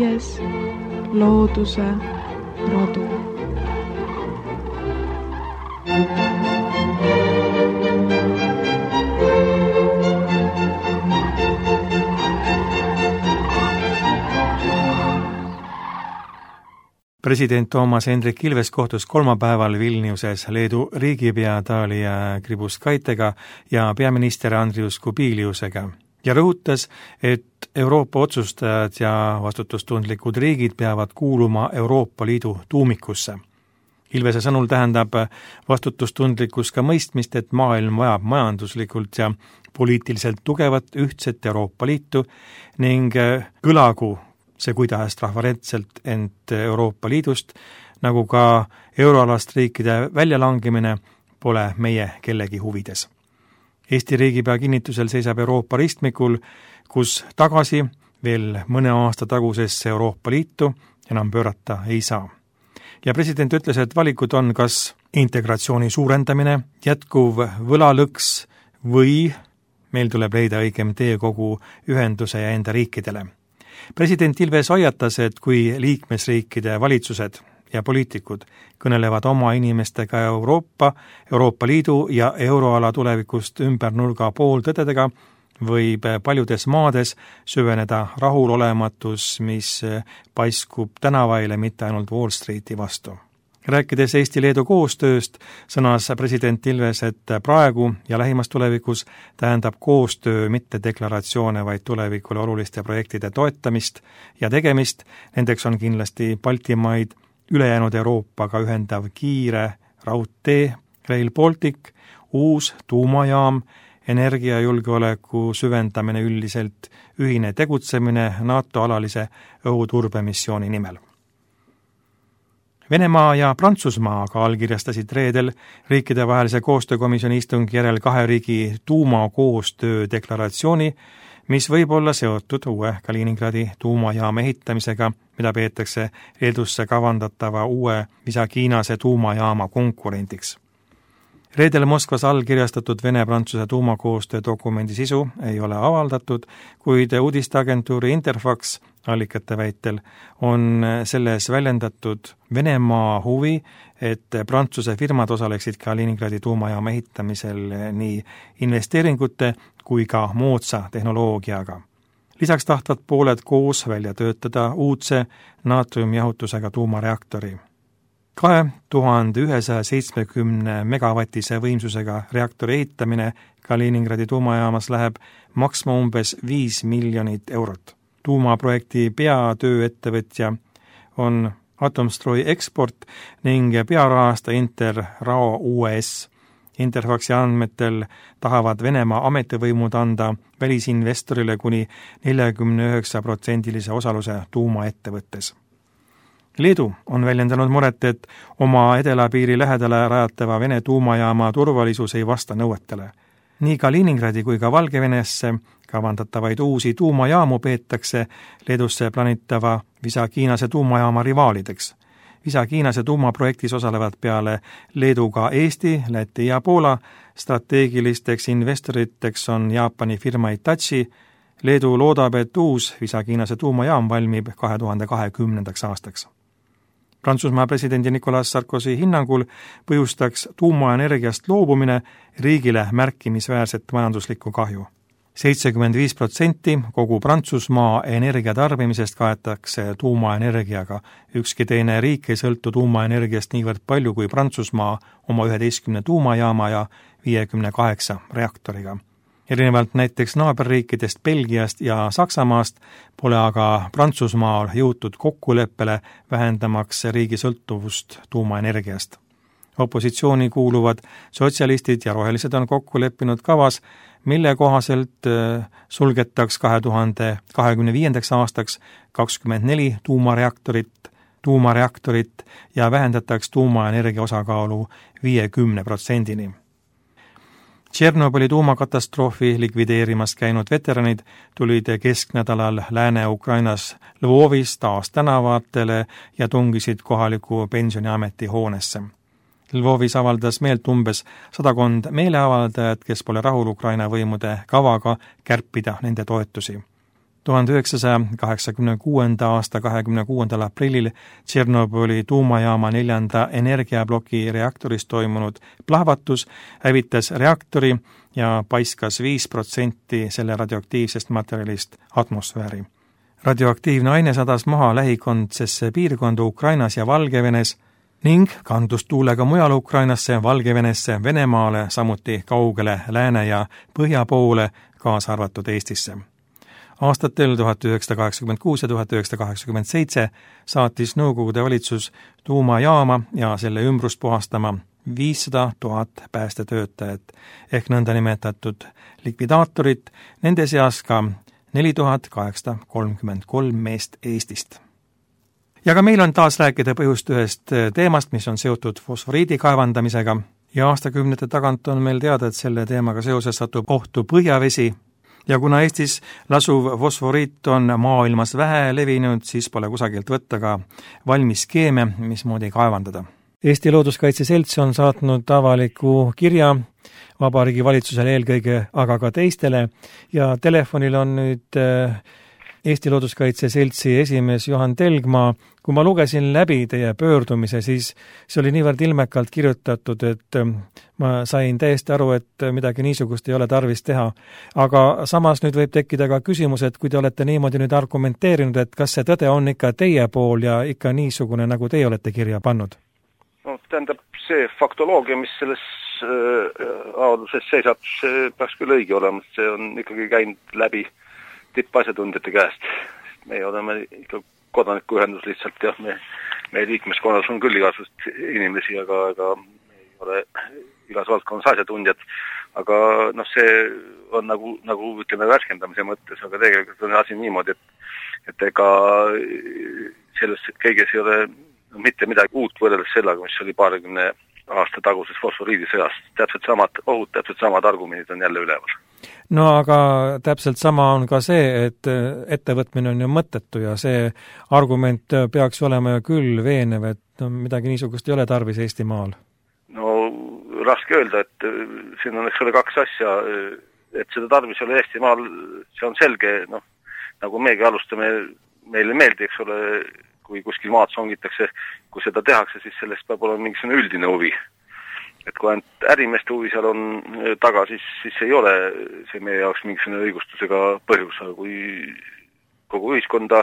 5. looduse rodu. President Toomas Hendrik Ilves kohtus kolmapäeval Vilniuses Leedu riigipea Dalia Grybauskaitega ja peaminister Andrius Kubiliusega ja rõhutas, et Euroopa otsustajad ja vastutustundlikud riigid peavad kuuluma Euroopa Liidu tuumikusse. Ilvese sõnul tähendab vastutustundlikkus ka mõistmist, et maailm vajab majanduslikult ja poliitiliselt tugevat ühtset Euroopa Liitu ning kõlagu see kuidas rahvarentselt ent Euroopa Liidust, nagu ka euroalast riikide väljalangemine pole meie kellegi huvides. Eesti riigipea kinnitusel seisab Euroopa ristmikul, kus tagasi veel mõne aasta tagusesse Euroopa Liitu enam pöörata ei saa. Ja president ütles, et valikud on kas integratsiooni suurendamine, jätkuv võlalõks või meil tuleb leida õigem tee kogu ühenduse ja enda riikidele. President Ilves hoiatas, et kui liikmesriikide valitsused ja poliitikud kõnelevad oma inimestega Euroopa Liidu ja euroala tulevikust ümber nurga pooltõdedega, võib paljudes maades süveneda rahulolematus, mis paiskub tänavaile mitte ainult Wall Streeti vastu. Rääkides Eesti-Leedu koostööst, sõnas president Ilves, et praegu ja lähimas tulevikus tähendab koostöö mitte deklaratsioone, vaid tulevikule oluliste projektide toetamist ja tegemist. Nendeks on kindlasti Baltimaid, ülejäänud Euroopaga ühendav kiire raudtee, Rail Baltic, uus tuumajaam, energiajulgeoleku süvendamine üldiselt, ühine tegutsemine NATO alalise õhuturbemissiooni nimel. Venemaa ja Prantsusmaa aga allkirjastasid reedel riikidevahelise koostöökomisjoni istungi järel 2 riigi tuumakoostöö deklaratsiooni, mis võib olla seotud uue Kaliningradi tuumajaama ehitamisega, mida peetakse Leedusse kavandatava uue Visaginase tuumajaama konkurendiks. Reedel Moskvas allkirjastatud Vene-Prantsuse tuumakoostöö dokumendi sisu ei ole avaldatud, kuid uudisteagentuuri Interfax allikate väitel on selles väljendatud Venemaa huvi, et Prantsuse firmad osaleksid Kaliningradi tuumajaama ehitamisel nii investeeringute kui ka moodsa tehnoloogiaga. Lisaks tahtvad pooled koos välja töötada uudse naatriumjahutusega tuumareaktori. 2170 megavatise võimsusega reaktori ehitamine Kaliningradi tuumajaamas läheb maksma umbes 5 miljonit eurot. Tuumaprojekti peatööettevõtja on Atomstroi Export9 pearahastaja Interrao US. Interfaxi andmetel tahavad Venemaa ametivõimud anda välisinvestorile kuni 49% osaluse tuumaettevõttes. Leedu on väljendanud muret, et oma edelapiiri lähedale rajatava Vene tuumajaama turvalisus ei vasta nõuetele. Nii Kaliningradi kui ka Valgevenesse kavandatavaid uusi tuumajaamu peetakse Leedusse planitava Visaginase tuumajaama rivaalideks. Visaginase tuumaprojektis osalevad peale Leedu ka Eesti, Läti ja Poola. Strateegilisteks investoriteks on Jaapani firma Hitachi. Leedu loodab, et uus Visaginase tuumajaam valmib 2020. aastaks. Prantsusmaa presidendi Nicolas Sarkozy hinnangul põhjustaks tuumaenergiast loobumine riigile märkimisväärset majanduslikku kahju. 75% kogu Prantsusmaa energiatarbimisest kaetakse tuumaenergiaga. Ükski teine riik ei sõltu tuumaenergiast niivõrd palju kui Prantsusmaa oma 11 tuumajaama ja 58 reaktoriga. Erinevalt näiteks naaberriikidest Belgiast ja Saksamaast pole aga Prantsusmaal jõutud kokkuleppele vähendamaks riigi sõltuvust tuumaenergiast. Opositsiooni kuuluvad sotsialistid ja rohelised on kokku leppinud kavas, mille kohaselt sulgetaks 2025. aastaks 24 tuumareaktorit ja vähendataks tuumaenergia osakaalu 50%-ni. Tšernobõli tuumakatastroofi likvideerimas käinud veteranid tulid kesknädalal Lääne-Ukrainas Lvovis taas tänavatele ja tungisid kohaliku pensioniameti hoonesse. Lvovis avaldas meelt umbes 100 meeleavaldajat, kes pole rahul Ukraina võimude kavaga kärpida nende toetusi. 1986. aasta 26. aprillil Tšernobõli tuumajaama 4. energiabloki reaktoris toimunud plahvatus hävitas reaktori ja paiskas 5% selle radioaktiivsest materjalist atmosfääri. Radioaktiivne aine sadas maha lähikondsesse piirkonda Ukrainas ja Valgevenes ning kandus tuulega mujal Ukrainasse, Valgevenesse, Venemaale, samuti kaugele lääne ja põhja poole, kaasa arvatud Eestisse. Aastatel 1986 ja 1987 saatis Nõukogude valitsus tuumajaama ja selle ümbrust puhastama 500 000 päästetöötajat ehk nõndanimetatud likvidaatorit, nende seas ka 4833 meest Eestist. Ja ka meil on taas rääkida põhjust ühest teemast, mis on seotud fosforiidi kaevandamisega ja aastakümnete tagant on meil teada, et selle teemaga seoses satub ohtu põhjavesi ja kuna Eestis lasuv fosforiit on maailmas vähe levinud, siis pole kusagilt võtta ka valmis skeeme, mismoodi kaevandada. Eesti Looduskaitse Selts on saatnud avaliku kirja Vabariigi Valitsusele eelkõige, aga ka teistele ja telefonil on nüüd Eesti Looduskaitse Seltsi esimees Juhan Telgmaa. Kui ma lugesin läbi teie pöördumise, siis see oli niivõrd ilmekalt kirjutatud, et ma sain täiesti aru, et midagi niisugust ei ole tarvis teha. Aga samas nüüd võib tekkida ka küsimus, et kui te olete niimoodi nüüd argumenteerinud, et kas see tõde on ikka teie pool ja ikka niisugune, nagu teie olete kirja pannud? No, tähendab, see faktoloogia, mis selles avalduses seisab, see peaks küll õige olema, see on ikkagi käinud läbi tippasjatundjate käest. Me oleme ikka kodanikuühendus lihtsalt ja meie liikmeskonnas on küll igasugust inimesi, aga me ei ole igas valdkonnas asjatundjad. Aga see on nagu ütleme värskendamise mõttes, aga tegelikult on asi niimoodi, et ega selles kõiges ei ole mitte midagi uut võrreldes sellega, mis oli 20 aasta taguses fosforiidisõjast. Täpselt samad ohud, täpselt samad argumendid on jälle üleval. No aga täpselt sama on ka see, et ettevõtmine on ju mõttetu ja see argument peaks olema ju küll veenev, et midagi niisugust ei ole tarvis Eestimaal. No raske öelda, et siin on eks ole kaks asja, et seda tarvis ei ole Eestimaal, see on selge, nagu meiegi alustame, meile meeldi, eks ole, kui kuskil maad songitakse, kui seda tehakse, siis sellest peab olema mingisugune üldine huvi. Et kui ainult ärimeeste huvi seal on taga, siis ei ole see meie jaoks mingisugune õigustusega põhjus, aga kui kogu ühiskonda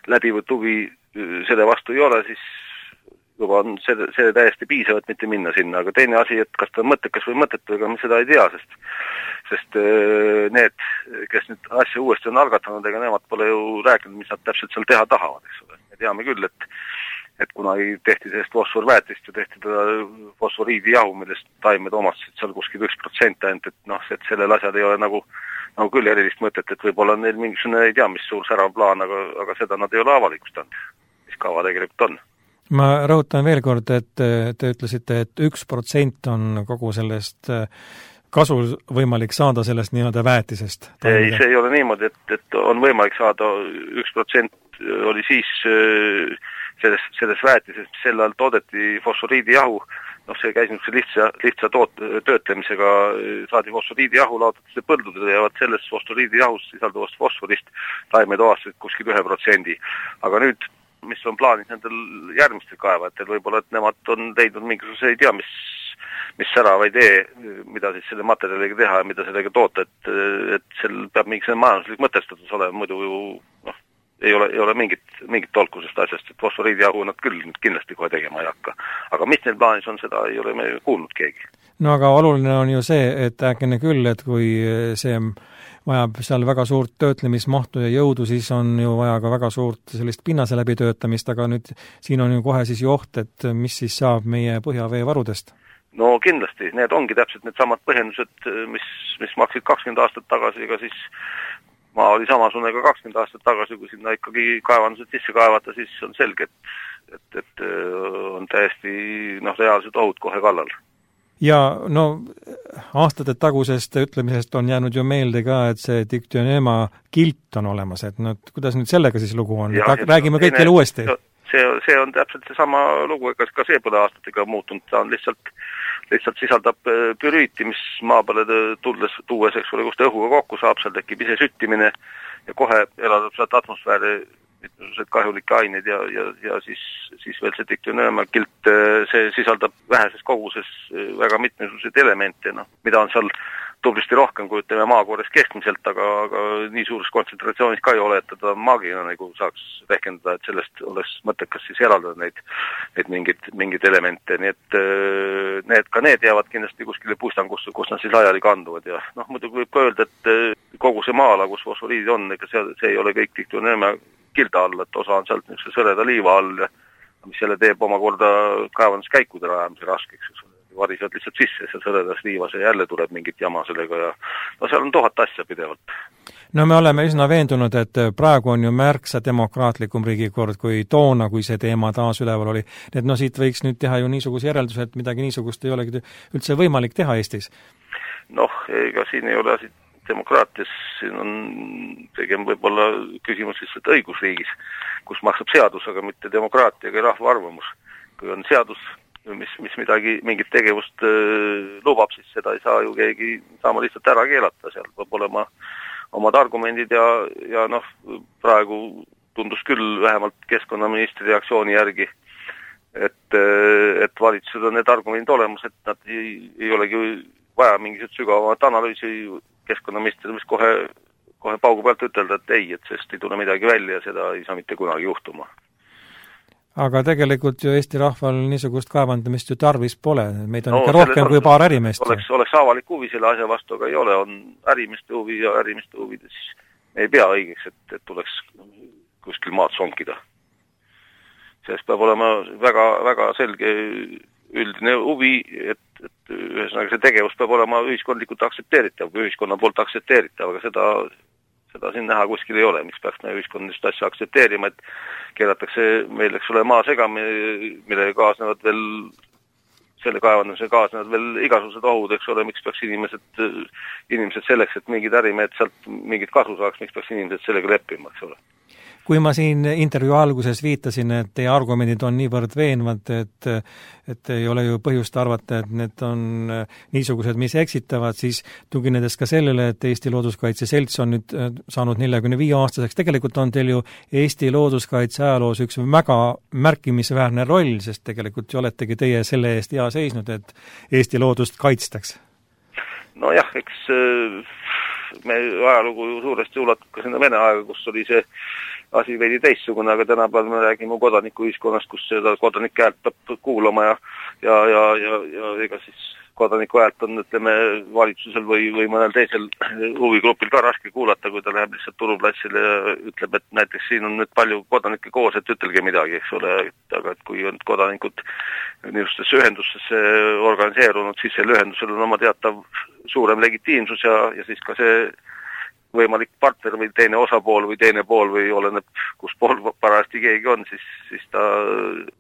läbivõt huvi selle vastu ei ole, siis juba on see täiesti piisav, et mitte minna sinna. Aga teine asi, et kas ta on mõttekas või mõttetu, ega me seda ei tea, sest need, kes nüüd asja uuesti on algatanud, ega nemad pole ju rääkinud, mis nad täpselt seal teha tahavad, eks ole. Me teame küll, et kunagi tehti sellest fosforväetist ja tehti teda fosforiidijahu, millest taimed omastasid seal kuskil 1% ainult, et sellel asjal ei ole nagu küll erilist mõtet, et võib-olla neil mingisugune ei tea, mis suur särav plaan, aga seda nad ei ole avalikustanud, mis kava tegelikult on. Ma rõhutan veel kord, et te ütlesite, et 1% on kogu sellest kasu võimalik saada sellest nii-öelda väetisest. Ei, see ei ole niimoodi, et on võimalik saada 1% oli siis selles väetises, mis sel ajal toodeti fosforiidijahu, see käis lihtsa töötlemisega, saadi fosforiidijahu, laotati see põldudele ja selles fosforiidijahus sisalduvast fosforist taimed ovastasid kuskil 1%. Aga nüüd, mis on plaanis nendel järgmistel kaevajatel, võib-olla, et nemad on leidnud mingisuguse, ei tea, mis särava idee, mida siis selle materjaliga teha ja mida sellega toota, et seal peab mingisugune majanduslik mõtestatus olema, muidu ju ei ole mingit tolkusest asjast, et fosforiidijahu nad küll kindlasti kohe tegema ei hakka. Aga mis neil plaanis on, seda ei ole me kuulnud keegi. No aga oluline on ju see, et äkene küll, et kui see vajab seal väga suurt töötlemismahtu ja jõudu, siis on ju vaja ka väga suurt sellist pinnase läbitöötamist, aga nüüd siin on ju kohe siis ju oht, et mis siis saab meie põhjaveevarudest? No kindlasti, need ongi täpselt need samad põhjendused, mis maksid 20 aastat tagasi, ega siis maa oli samasugune ka 20 aastat tagasi, kui sinna ikkagi kaevandused sisse kaevata, siis on selge, et on täiesti reaalsed ohud kohe kallal. Ja aastate tagusest ütlemisest on jäänud ju meelde ka, et see diktioneema kilt on olemas, et kuidas nüüd sellega siis lugu on? Räägime kõikjale uuesti. See on täpselt see sama lugu, ega ka see pole aastatega muutunud, ta on lihtsalt sisaldab pürüüti, mis maa peale tuues, eks ole, kus ta õhuga kokku saab, seal tekib ise süttimine ja kohe eladab sealt atmosfääri mitmesugused kahjulikke aineid ja siis veel see diktüneemakilt, see sisaldab väheses koguses väga mitmesuguseid elemente, mida on seal tublisti rohkem kui ütleme maakoores keskmiselt, aga nii suures kontsentratsioonis ka ei ole, et ta maagina nagu saaks rehkendada, et sellest oleks mõttekas siis eraldada neid mingeid elemente, nii et need jäävad kindlasti kuskile puistangusse, kus nad siis laiali kanduvad ja muidugi võib ka öelda, et kogu see maa-ala, kus fosforiidid on, ega see ei ole kõik diktüneema kilda all, et osa on sealt niisuguse sõreda liiva all, mis selle teeb omakorda kaevanduskäikude rajamise raskeks, varisevad lihtsalt sisse ja sõredas liivas ja jälle tuleb mingit jama sellega ja seal on 1000 asja pidevalt. No me oleme üsna veendunud, et praegu on ju märksa demokraatlikum riigikord kui toona, kui see teema taas üleval oli. Et siit võiks nüüd teha ju niisuguse järelduse, et midagi niisugust ei olegi üldse võimalik teha Eestis. Ega siin ei ole asi demokraatias, siin on tegem võib-olla küsimus lihtsalt õigusriigis, kus maksab seadus, aga mitte demokraatia ega rahva arvamus. Kui on seadus, mis mingit tegevust lubab, siis seda ei saa ju keegi saama lihtsalt ära keelata, seal peab olema omad argumendid ja praegu tundus küll vähemalt keskkonnaministri reaktsiooni järgi, et valitsused on need argumendid olemas, et nad ei olegi vaja mingisugust sügavamat analüüsi keskkonnaminister, mis kohe paugu pealt ütelda, et ei, et sest ei tule midagi välja ja seda ei saa mitte kunagi juhtuma. Aga tegelikult ju Eesti rahval niisugust kaevandamist ju tarvis pole, meid on ikka rohkem kui paar ärimeest. Oleks avalik huvi selle asja vastu, aga ei ole, on ärimeeste huvi ja ärimeeste huvides ei pea õigeks, et tuleks kuskil maad sonkida. Sellest peab olema väga, väga selge üldine huvi, et ühesõnaga see tegevus peab olema ühiskondlikult aktsepteeritav, kui ühiskonna poolt aktsepteeritav, aga seda siin näha kuskil ei ole, miks peaks me ühiskonnalist asja aktsepteerima, et keelatakse meil, eks ole, maa segami, millega kaasnevad veel, selle kaevandamise kaasnevad veel igasugused ohud, eks ole, miks peaks inimesed selleks, et mingid ärimehed sealt mingit kasu saaks, miks peaks inimesed sellega leppima, eks ole. Kui ma siin intervjuu alguses viitasin, et teie argumendid on niivõrd veenvad, et ei ole ju põhjust arvata, et need on niisugused, mis eksitavad, siis tuginedes ka sellele, et Eesti Looduskaitse Selts on nüüd saanud 45-aastaseks, tegelikult on teil ju Eesti looduskaitse ajaloos üks väga märkimisväärne roll, sest tegelikult ju oletegi teie selle eest hea seisnud, et Eesti loodust kaitstaks. Nojah, eks me ajalugu ju suuresti ulatub ka sinna Vene aega, kus oli see asi veidi teistsugune, aga tänapäeval me räägime kodanikuühiskonnast, kus seda kodanike häält peab kuulama ja ega siis kodaniku häält on, ütleme, valitsusel või mõnel teisel huvigrupil ka raske kuulata, kui ta läheb lihtsalt turuplatsile ja ütleb, et näiteks siin on nüüd palju kodanikke koos, et ütelge midagi, eks ole, aga et kui on kodanikud niisugustesse ühendustesse organiseerunud, siis selle ühendusel on oma teatav suurem legitiimsus ja siis ka see võimalik partner või teine osapool või teine pool või oleneb, kus pool parajasti keegi on, siis ta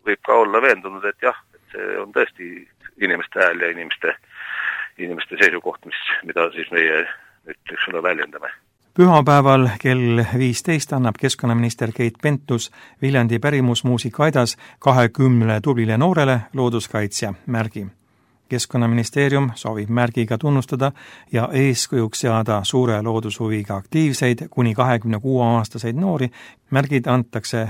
võib ka olla veendunud, et jah, et see on tõesti inimeste hääl ja inimeste seisukoht, mida siis meie nüüd, eks ole, väljendame. Pühapäeval kell 15 annab keskkonnaminister Keit Pentus Viljandi pärimusmuusikaaidas 20 tublile noorele looduskaitsja märgi. Keskkonnaministeerium soovib märgiga tunnustada ja eeskujuks seada suure loodushuviga aktiivseid kuni 26-aastaseid noori. Märgid antakse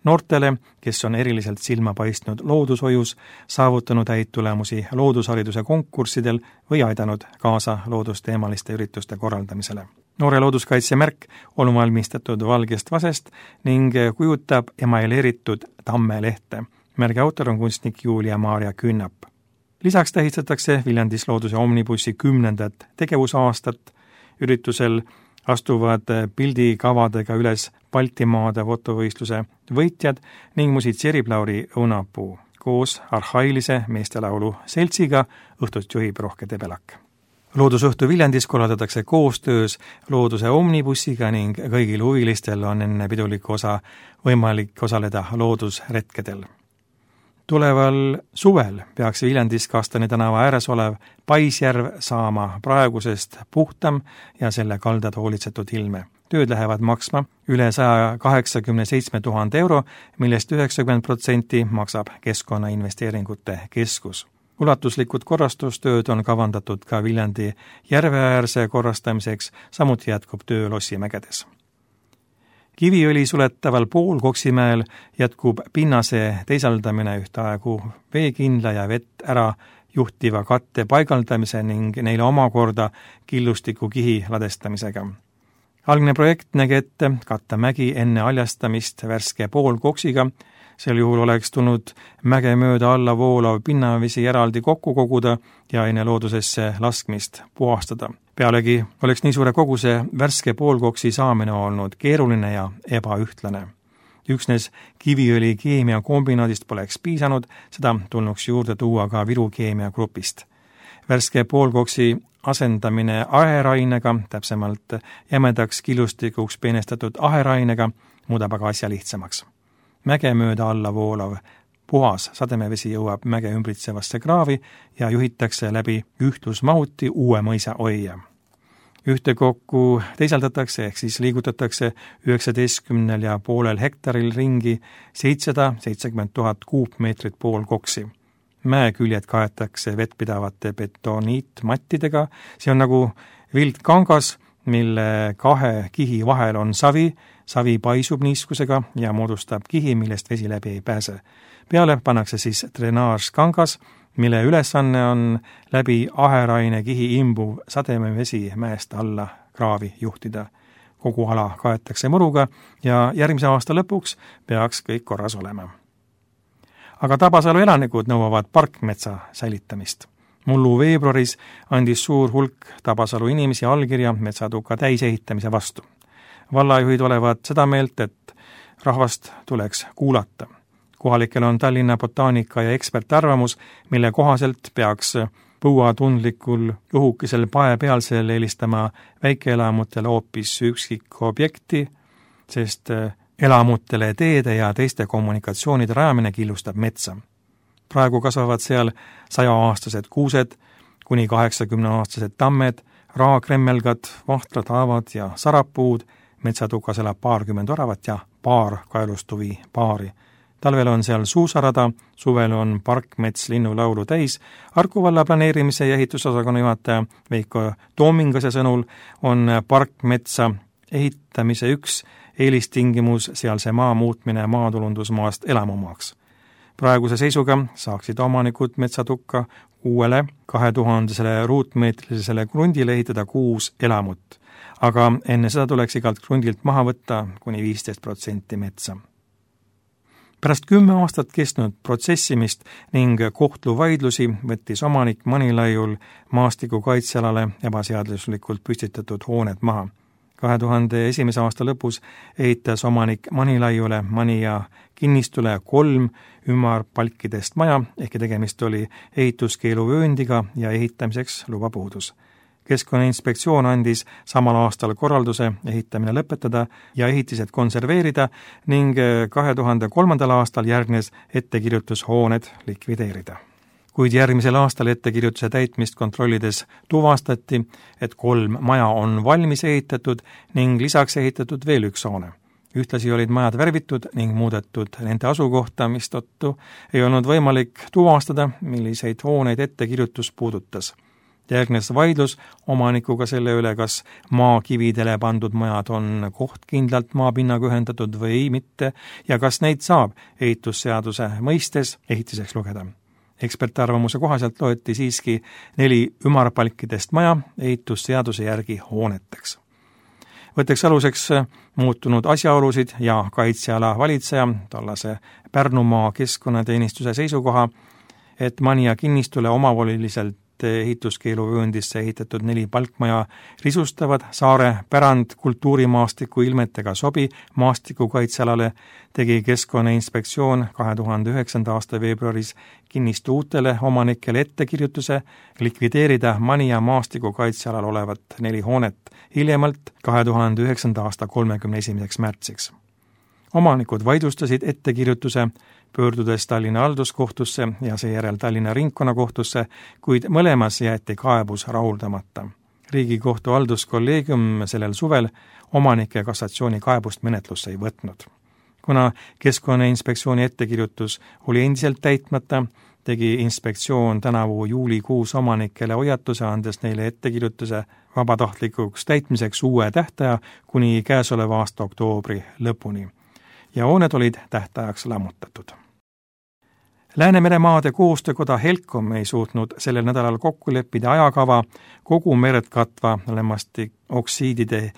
noortele, kes on eriliselt silma paistnud loodushoius, saavutanud häid tulemusi loodushariduse konkurssidel või aidanud kaasa loodusteemaliste ürituste korraldamisele. Noore looduskaitse märk on valmistatud valgest vasest ning kujutab emaileeritud tammelehte. Märgi autor on kunstnik Julia-Maarja Künnap. Lisaks tähistatakse Viljandis looduse omnibussi 10. tegevusaastat. Üritusel astuvad pildikavadega üles Baltimaade fotovõistluse võitjad ning musitseerib Lauri Õunapuu. Koos arhailise meestelaulu seltsiga õhtust juhib Rohke Debelak. Loodusõhtu Viljandis korraldatakse koostöös looduse omnibussiga ning kõigil huvilistel on enne pidulikku osa võimalik osaleda loodusretkedel. Tuleval suvel peaks Viljandis Kastani tänava ääres olev Paisjärv saama praegusest puhtam ja selle kaldad hoolitsetud ilme. Tööd lähevad maksma üle 187 000 euro, millest 90% maksab Keskkonnainvesteeringute Keskus. Ulatuslikud korrastustööd on kavandatud ka Viljandi järveäärse korrastamiseks, samuti jätkub töö Lossimägedes. Kiviõli suletaval Poolkoksimäel jätkub pinnase teisaldamine ühtaegu veekindla ja vett ära juhtiva katte paigaldamise ning neile omakorda killustiku kihi ladestamisega. Algne projekt nägi ette katta mägi enne aljastamist värske Poolkoksiga, sel juhul oleks tulnud mäge mööda alla voolav pinnavesi eraldi kokku koguda ja enne loodusesse laskmist puhastada. Pealegi oleks nii suure koguse värske Poolkoksi saamine olnud keeruline ja ebaühtlane. Üksnes Kiviõli keemiakombinaadist poleks piisanud, seda tulnuks juurde tuua ka Viru keemiagrupist. Värske Poolkoksi asendamine aherainega, täpsemalt jämedaks killustikuks peenestatud aherainega, muudab aga asja lihtsamaks. Mäge mööda alla voolav puhas sademevesi jõuab mäge ümbritsevasse kraavi ja juhitakse läbi ühtlusmahuti Uue mõisa oia. Ühtekokku teisaldatakse ehk siis liigutatakse 19,5 hektaril ringi 770 000 kuupmeetrit Poolkoksi. Mäeküljed kaetakse vettpidavate betoniitmattidega, see on nagu vildkangas, mille kahe kihi vahel on savi paisub niiskusega ja moodustab kihi, millest vesi läbi ei pääse. Peale pannakse siis drenaažkangas, mille ülesanne on läbi aheraine kihi imbuv sademevesi mäest alla kraavi juhtida. Kogu ala kaetakse muruga ja järgmise aasta lõpuks peaks kõik korras olema. Aga Tabasalu elanikud nõuavad parkmetsa säilitamist. Mullu veebruaris andis suur hulk Tabasalu inimesi allkirja metsatuka täisehitamise vastu. Vallajuhid olevat seda meelt, et rahvast tuleks kuulata. Kohalikel on Tallinna botaanika ja ekspertarvamus, mille kohaselt peaks põuatundlikul juhukesel paepealsel eelistama väikeelamutele hoopis üksikobjekti, sest elamutele teede ja teiste kommunikatsioonide rajamine killustab metsa. Praegu kasvavad seal 100-aastased kuused, kuni 80-aastased tammed, raakremmelgad, vahtrad haavad ja sarapuud, metsatukas elab 20 oravat ja paar kaelustuvi paari. Talvel on seal suusarada, suvel on parkmets linnulaulu täis. Harku valla planeerimise ja ehitusosakonna juhataja Veiko Toomingase sõnul on parkmetsa ehitamise üks eelistingimus sealse maa muutmine maatulundusmaast elamumaaks. Praeguse seisuga saaksid omanikud metsatukka uuele 2000 ruutmeetrisele krundile ehitada 6 elamut, aga enne seda tuleks igalt krundilt maha võtta kuni 15% metsa. Pärast 10 aastat kestnud protsessimist ning kohtuvaidlusi võttis omanik Manilaiul maastiku kaitsealale ebaseaduslikult püstitatud hooned maha. 2001. aasta lõpus ehitas omanik Manilaiule Manija kinnistule 3 ümarpalkidest maja, ehkki tegemist oli ehituskeeluvööndiga ja ehitamiseks luba puudus. Keskkonnainspektsioon andis samal aastal korralduse ehitamine lõpetada ja ehitised konserveerida ning 2003. aastal järgnes ettekirjutus hooned likvideerida. Kuid järgmisel aastal ettekirjutuse täitmist kontrollides tuvastati, et 3 maja on valmis ehitatud ning lisaks ehitatud veel 1 hoone. Ühtlasi olid majad värvitud ning muudetud nende asukohta, mistõttu ei olnud võimalik tuvastada, milliseid hooneid ettekirjutus puudutas. Järgnes vaidlus omanikuga selle üle, kas maakividele pandud majad on kohtkindlalt maapinnaga ühendatud või mitte ja kas neid saab ehitusseaduse mõistes ehitiseks lugeda. Ekspertarvamuse kohaselt loeti siiski 4 ümarpalkidest maja ehitusseaduse järgi hooneteks. Võtteks aluseks muutunud asjaolusid ja kaitseala valitseja, tollase Pärnumaa keskkonnateenistuse seisukoha, et Manija kinnistule omavoliliselt ehituskeeluvööndisse ehitatud 4 palkmaja risustavad saare pärand kultuurimaastiku ilmetega sobi maastikukaitsealale, tegi Keskkonnainspektsioon 2009. aasta veebruaris kinnistu uutele omanikele ettekirjutuse likvideerida Manija maastikukaitsealal olevat 4 hoonet hiljemalt 2009. aasta 31. märtsiks. Omanikud vaidlustasid ettekirjutuse, pöördudes Tallinna halduskohtusse ja seejärel Tallinna ringkonnakohtusse, kuid mõlemas jäeti kaebus rahuldamata. Riigikohtu halduskolleegium sellel suvel omanike kassatsioonikaebust menetlusse ei võtnud. Kuna Keskkonnainspektsiooni ettekirjutus oli endiselt täitmata, tegi inspektsioon tänavu juulikuus omanikele hoiatuse, andes neile ettekirjutuse vabatahtlikuks täitmiseks uue tähtaja kuni käesoleva aasta oktoobri lõpuni. Ja hooned olid tähtajaks lammutatud. Läänemere maade koostöökoda Helcom ei suutnud sellel nädalal kokku leppida ajakava kogu merd katva lämmastikoksiidide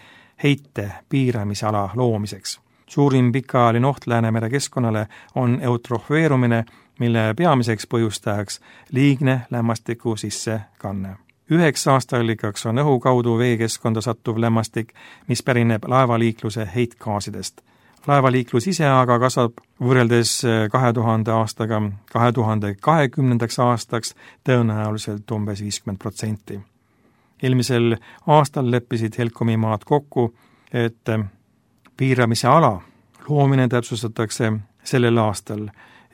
heite piiramisala loomiseks. Suurim pikaajaline oht Läänemere keskkonnale on eutrofeerumine, mille peamiseks põhjustajaks liigne lämmastiku sissekanne. Üheks aastaallikaks on õhu kaudu veekeskkonda sattuv lämmastik, mis pärineb laevaliikluse heitgaasidest. Laevaliiklus ise aga kasvab võrreldes 2000 aastaga 2020. aastaks tõenäoliselt umbes 50%. Eelmisel aastal leppisid Helcomi maad kokku, et piiramise ala loomine täpsustatakse sellel aastal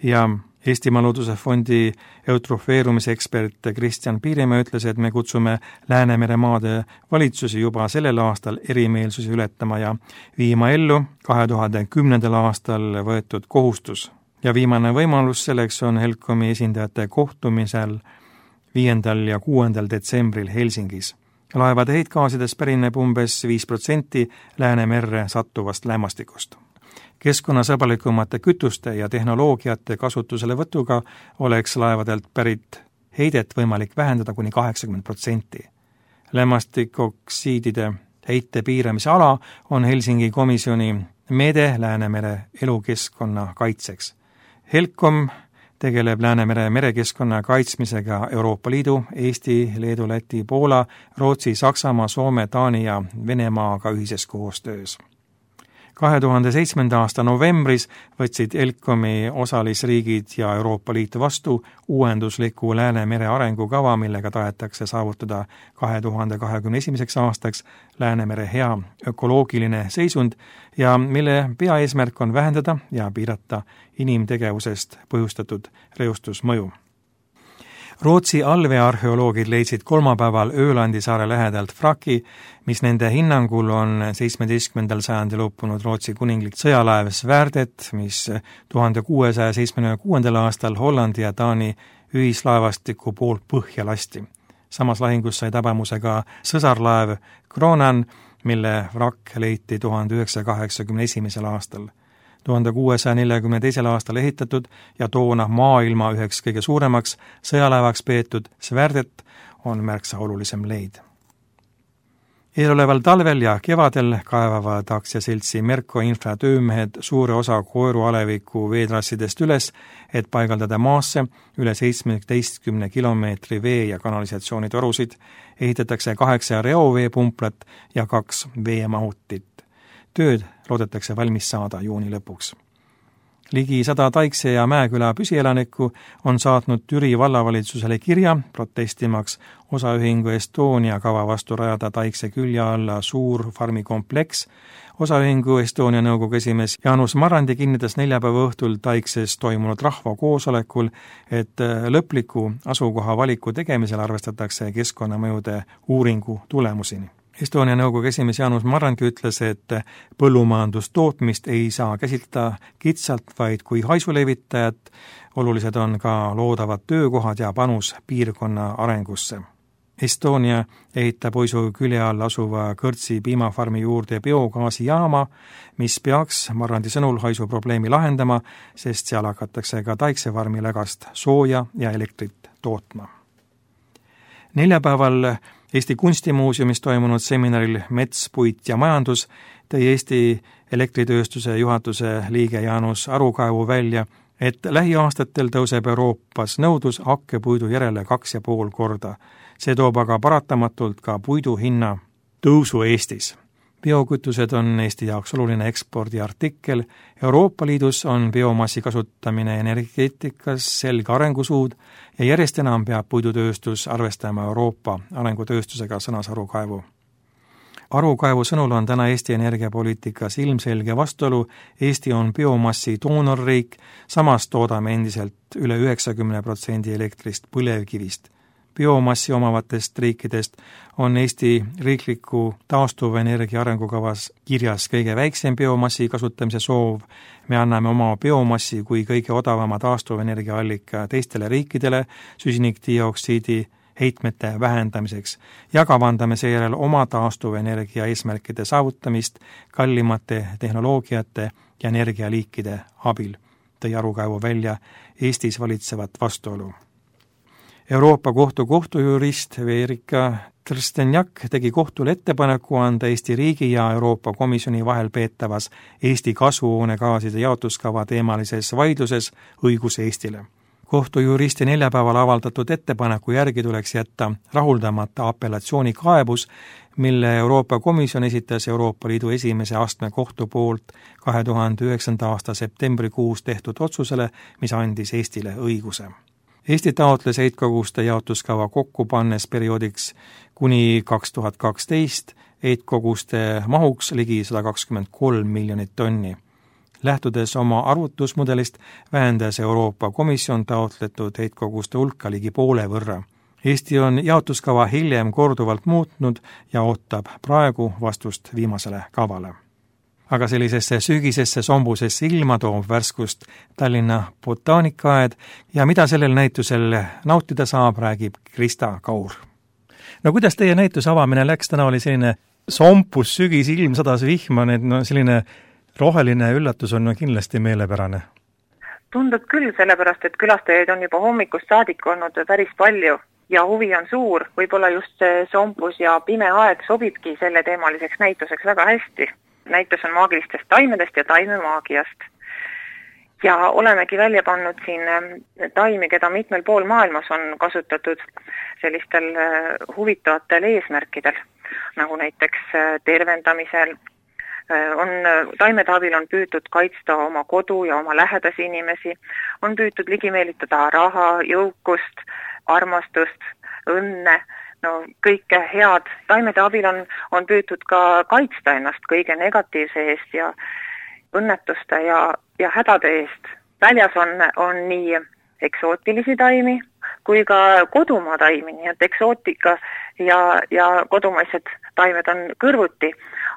ja Eestimaa Looduse Fondi eutrofeerumise ekspert Kristjan Piirimäe ütles, et me kutsume Läänemere maade valitsusi juba sellel aastal erimeelsusi ületama ja viima ellu 2010. aastal võetud kohustus. Ja viimane võimalus selleks on Helcomi esindajate kohtumisel 5. ja 6. detsembril Helsingis. Laevade heitgaasidest pärineb umbes 5% Läänemerre sattuvast lämmastikust. Keskkonnasõbralikumate kütuste ja tehnoloogiate kasutuselevõtuga oleks laevadelt pärit heidet võimalik vähendada kuni 80%. Lämmastikoksiidide heite piiramise ala on Helsingi komisjoni meede Läänemere elukeskkonna kaitseks. Helcom tegeleb Läänemere merekeskkonna kaitsmisega Euroopa Liidu, Eesti, Leedu, Läti, Poola, Rootsi, Saksamaa, Soome, Taani ja Venemaaga ühises koostöös. 2007. aasta novembris võtsid Helcomi osalisriigid ja Euroopa Liit vastu uuendusliku Läänemere arengukava, millega tahetakse saavutada 2021. aastaks Läänemere hea ökoloogiline seisund ja mille peaeesmärk on vähendada ja piirata inimtegevusest põhjustatud reostusmõju. Rootsi allveearheoloogid leidsid kolmapäeval Öölandi saare lähedalt vraki, mis nende hinnangul on 17. sajandil uppunud Rootsi kuninglik sõjalaev Svärdet, mis 1676. aastal Hollandi ja Taani ühislaevastiku poolt põhja lasti. Samas lahingus sai tabamuse ka sõsarlaev Kronan, mille vrakk leiti 1981. aastal. 1642. aastal ehitatud ja toona maailma üheks kõige suuremaks sõjalaevaks peetud Svärdet on märksa olulisem leid. Eeloleval talvel ja kevadel kaevavad aktsiaseltsi Merko Infra töömehed suure osa Koeru-Aleviku veetrassidest üles, et paigaldada maasse üle 17 kilomeetri vee- ja kanalisatsioonitorusid, ehitatakse 8 reoveepumplat ja 2 veemahutit. Tööd loodetakse valmis saada juuni lõpuks. Ligi 100 Taikse ja Mäeküla püsielanikku on saatnud Türi vallavalitsusele kirja, protestimaks osaühingu Estonia kava vastu rajada Taikse külje alla suur farmikompleks. Osaühingu Estonia nõukogu esimees Jaanus Marrandi kinnitas neljapäeva õhtul Taikses toimunud rahvakoosolekul, et lõpliku asukoha valiku tegemisel arvestatakse keskkonnamõjude uuringu tulemusini. Estonia nõukogu esimees Jaanus Marrandi ütles, et põllumajandustootmist ei saa käsitleda kitsalt, vaid kui haisulevitajat, olulised on ka loodavad töökohad ja panus piirkonna arengusse. Estonia ehitab Oisu külje all asuva Kõrtsi piimafarmi juurde biogaasijaama, mis peaks Marrandi sõnul haisu probleemi lahendama, sest seal hakatakse ka Taiksefarmi lägast sooja ja elektrit tootma. Neljapäeval Eesti Kunstimuuseumis toimunud seminaril Mets, puit ja majandus tõi Eesti elektritööstuse juhatuse liige Jaanus Arukaevu välja, et lähiaastatel tõuseb Euroopas nõudlus hakkepuidu järele 2,5 korda. See toob aga paratamatult ka puidu hinna tõusu Eestis. Biokütused on Eesti jaoks oluline ekspordiartikkel. Euroopa Liidus on biomassi kasutamine energeetikas selge arengusuud ja järjest enam peab puidutööstus arvestama Euroopa arengutööstusega, sõnas Arukaevu. Arukaevu sõnul on täna Eesti energiapoliitikas ilmselge vastuolu. Eesti on biomassi doonorriik, samas toodame endiselt üle 90% elektrist põlevkivist. biomassi omavatest riikidest on Eesti riikliku taastuvenergia arengukavas kirjas kõige väiksem biomassi kasutamise soov. Me anname oma biomassi kui kõige odavama taastuvenergia allika teistele riikidele süsinikdioksiidi heitmete vähendamiseks ja kavandame seejärel oma taastuvenergia eesmärkide saavutamist kallimate tehnoloogiate ja energialiikide abil, tõi Arukaevu välja Eestis valitsevat vastuolu. Euroopa Kohtu kohtujurist Verika Trstenjak tegi kohtule ettepaneku anda Eesti riigi ja Euroopa Komisjoni vahel peetavas Eesti kasvuhoonegaaside jaotuskava teemalises vaidluses õigus Eestile. Kohtujuristi neljapäeval avaldatud ettepaneku järgi tuleks jätta rahuldamata apellatsioonikaebus, mille Euroopa Komisjon esitas Euroopa Liidu esimese astme kohtu poolt 2009. aasta septembrikuus tehtud otsusele, mis andis Eestile õiguse. Eesti taotles heitkoguste jaotuskava kokku pannes perioodiks kuni 2012 heitkoguste mahuks ligi 123 miljonit tonni. Lähtudes oma arvutusmudelist vähendas Euroopa Komisjon taotletud heitkoguste hulka ligi poole võrra. Eesti on jaotuskava hiljem korduvalt muutnud ja ootab praegu vastust viimasele kavale. Aga sellisesse sügisesse sombusesse ilma toob värskust Tallinna botaanikaaed ja mida sellel näitusel nautida saab, räägib Krista Kaur. No kuidas teie näituse avamine läks? Täna oli selline sompus sügis, ilm sadas vihma, selline roheline üllatus on kindlasti meelepärane. Tundub küll, sellepärast, et külastajaid on juba hommikust saadik olnud päris palju ja huvi on suur. Võib-olla just see sompus ja pime aeg sobibki selle teemaliseks näituseks väga hästi. Näitus on maagilistest taimedest ja taimemaagiast. Ja olemegi välja pannud siin taimi, keda mitmel pool maailmas on kasutatud sellistel huvitavatel eesmärkidel, nagu näiteks tervendamisel. Taimede abil on püütud kaitsta oma kodu ja oma lähedasi inimesi, on püütud ligimeelitada raha, jõukust, armastust, õnne, kõike head. Taimede abil on püütud ka kaitsta ennast kõige negatiivse eest ja õnnetuste ja hädade eest. Väljas on nii eksootilisi taimi kui ka kodumaa taimi, nii et eksootika ja kodumaised taimed on kõrvuti.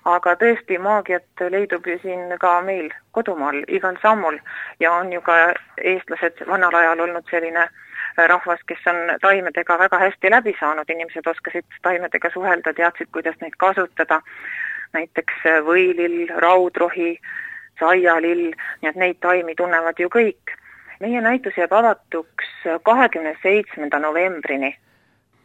Aga tõesti maagiat leidub ju siin ka meil kodumaal igal sammul ja on ju ka eestlased vanal ajal olnud selline rahvas, kes on taimedega väga hästi läbi saanud. Inimesed oskasid taimedega suhelda, teadsid, kuidas neid kasutada. Näiteks võilill, raudrohi, saialill, nii et neid taimi tunnevad ju kõik. Meie näitus jääb avatuks 27. novembrini.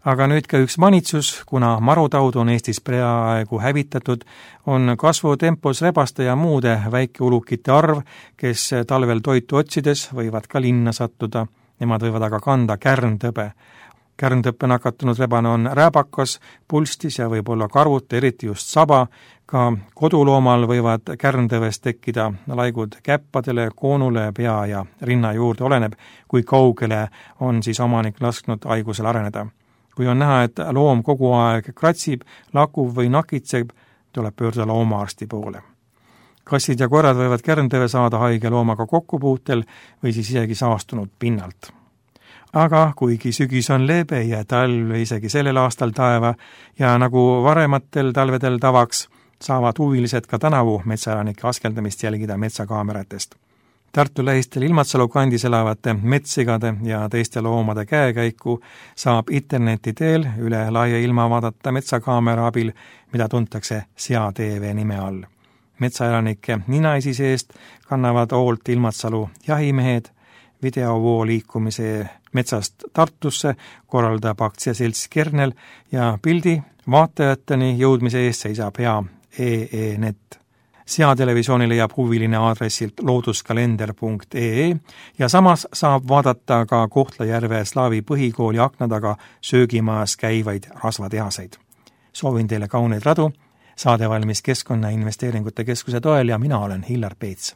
Aga nüüd ka üks manitsus, kuna marutaud on Eestis peaaegu hävitatud, on kasvutempos rebaste ja muude väikeulukite arv, kes talvel toitu otsides võivad ka linna sattuda. Nemad võivad aga kanda kärntõbe. Kärntõppe nakatunud rebane on rääbakas, pulstis ja võib olla karvut, eriti just saba. Ka koduloomal võivad kärntõvest tekkida laigud käppadele, koonule, pea ja rinna juurde, oleneb, kui kaugele on siis omanik lasknud haigusel areneda. Kui on näha, et loom kogu aeg kratsib, lakub või nakitseb, tuleb pöörduda loomaarsti poole. Kassid ja koerad võivad kärntõve saada haige loomaga kokkupuutel või siis isegi saastunud pinnalt. Aga kuigi sügis on leebe ja talv isegi sellel aastal taeva ja nagu varematel talvedel tavaks, saavad huvilised ka tänavu metsaelanike askeldamist jälgida metsakaameratest. Tartu lähistel Ilmatsalu kandis elavate metssigade ja teiste loomade käekäiku saab interneti teel üle laia ilma vaadata metsakaamera abil, mida tuntakse Sea TV nime all. Metsaelanike ninaisi seest kannavad hoolt Ilmatsalu jahimehed, videovoo liikumise metsast Tartusse korraldab aktsiaselts Kernel ja pildi vaatajateni jõudmise eest seisab hea EE-net. Seatelevisiooni leiab huviline aadressilt looduskalender.ee ja samas saab vaadata ka Kohtla-Järve Slaavi põhikooli akna taga söögimajas käivaid rasvatehaseid. Soovin teile kauneid radu, saade valmis Keskkonnainvesteeringute Keskuse toel ja mina olen Hillar Peets.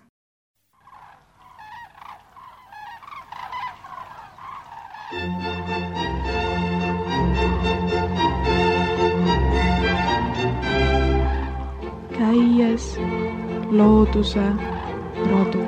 Käies looduse rodu.